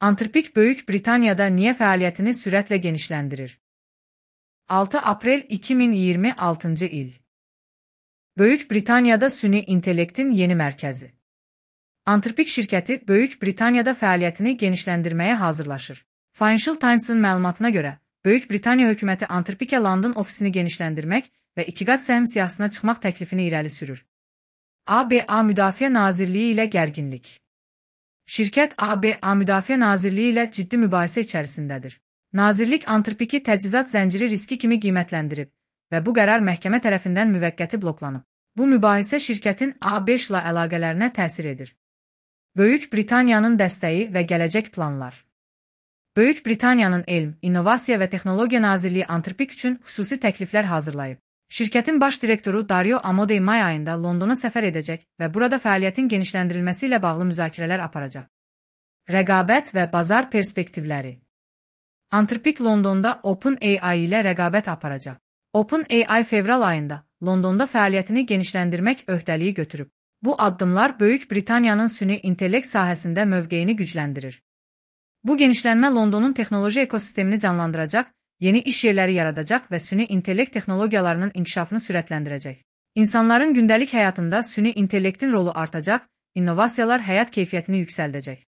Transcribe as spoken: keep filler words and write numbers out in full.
Anthropic Böyük Britaniyada niyə fəaliyyətini sürətlə genişləndirir? altı aprel iki min iyirmi altıncı il. Böyük Britaniyada süni intellektin yeni mərkəzi. Anthropic şirkəti Böyük Britaniyada fəaliyyətini genişləndirməyə hazırlaşır. Financial Times'ın məlumatına görə, Böyük Britaniya hökuməti Anthropic'ə London ofisini genişləndirmək və iki qat səhm siyahısına çıxmaq təklifini irəli sürür. A B A Müdafiə Nazirliyi ilə gərginlik. Şirkət A B A Müdafiə Nazirliyi ilə ciddi mübahisə içərisindədir. Nazirlik Anthropic'i təchizat zənciri riski kimi qiymətləndirib və bu qərar məhkəmə tərəfindən müvəqqəti bloklanıb. Bu mübahisə şirkətin A B ilə əlaqələrinə təsir edir. Böyük Britaniyanın dəstəyi və gələcək planlar. Böyük Britaniyanın Elm, İnnovasiya və Texnologiya Nazirliyi Anthropic üçün xüsusi təkliflər hazırlayıb. Şirkətin baş direktoru Dario Amodei may ayında Londona səfər edəcək və burada fəaliyyətin genişləndirilməsi ilə bağlı müzakirələr aparacaq. Rəqabət və bazar perspektivləri. Anthropic Londonda OpenAI ilə rəqabət aparacaq. OpenAI fevral ayında Londonda fəaliyyətini genişləndirmək öhdəliyi götürüb. Bu addımlar Böyük Britaniyanın süni intellekt sahəsində mövqeyini gücləndirir. Bu genişlənmə Londonun texnoloji ekosistemini canlandıracaq, yeni iş yerləri yaradacaq və süni intellekt texnologiyalarının inkişafını sürətləndirəcək. İnsanların gündəlik həyatında süni intellektin rolu artacaq, innovasiyalar həyat keyfiyyətini yüksəldəcək.